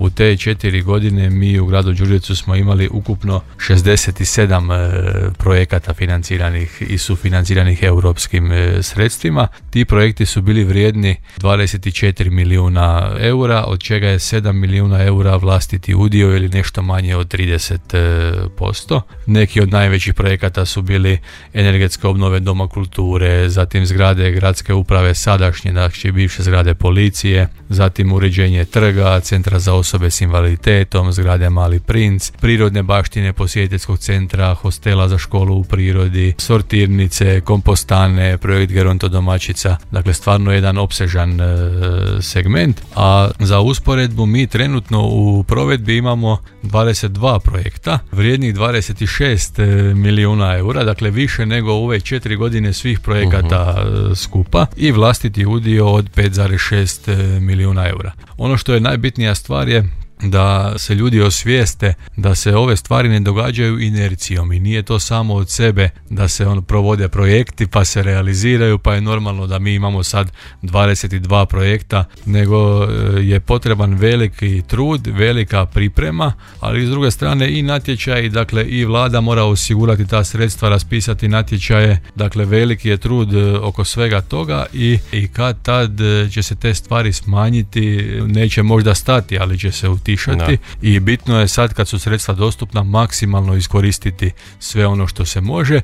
u te 4 godine mi u gradu Đurđevcu smo imali ukupno 67 projekata financiranih i sufinanciranih europskim sredstvima. Ti projekti su bili vrijedni 24 milijuna eura, od čega je 7 milijuna eura vlastiti udio ili nešto manje od 30%. Neki od najvećih projekata su bili energetske obnove Doma kulture, zatim zgrade gradske uprave sadašnje, znači bivše zgrade policije, zatim uređenje trga, centra za osobe s invaliditetom, zgrade Mali princ, prirodne baštine posjetiteljskog centra, hostela za školu u prirodi, sortirnice, kompostane, projekt gerontodomaćica, dakle stvarno jedan opsežan segment, a za usporedbu mi trenutno u provedbi imamo 22 projekta, vrijednih 26 milijuna eura, dakle više nego u ove 4 godine svih projekata skupa i vlastiti udio od 5,6 milijuna eura. Ono što je najbitnija stvar je da se ljudi osvijeste da se ove stvari ne događaju inercijom i nije to samo od sebe da se provode projekti pa se realiziraju pa je normalno da mi imamo sad 22 projekta, nego je potreban veliki trud, velika priprema, ali s druge strane i natječaj, dakle i vlada mora osigurati ta sredstva, raspisati natječaje, dakle veliki je trud oko svega toga i kad tad će se te stvari smanjiti, neće možda stati, ali će se utišati i bitno je sad kad su sredstva dostupna maksimalno iskoristiti sve ono što se može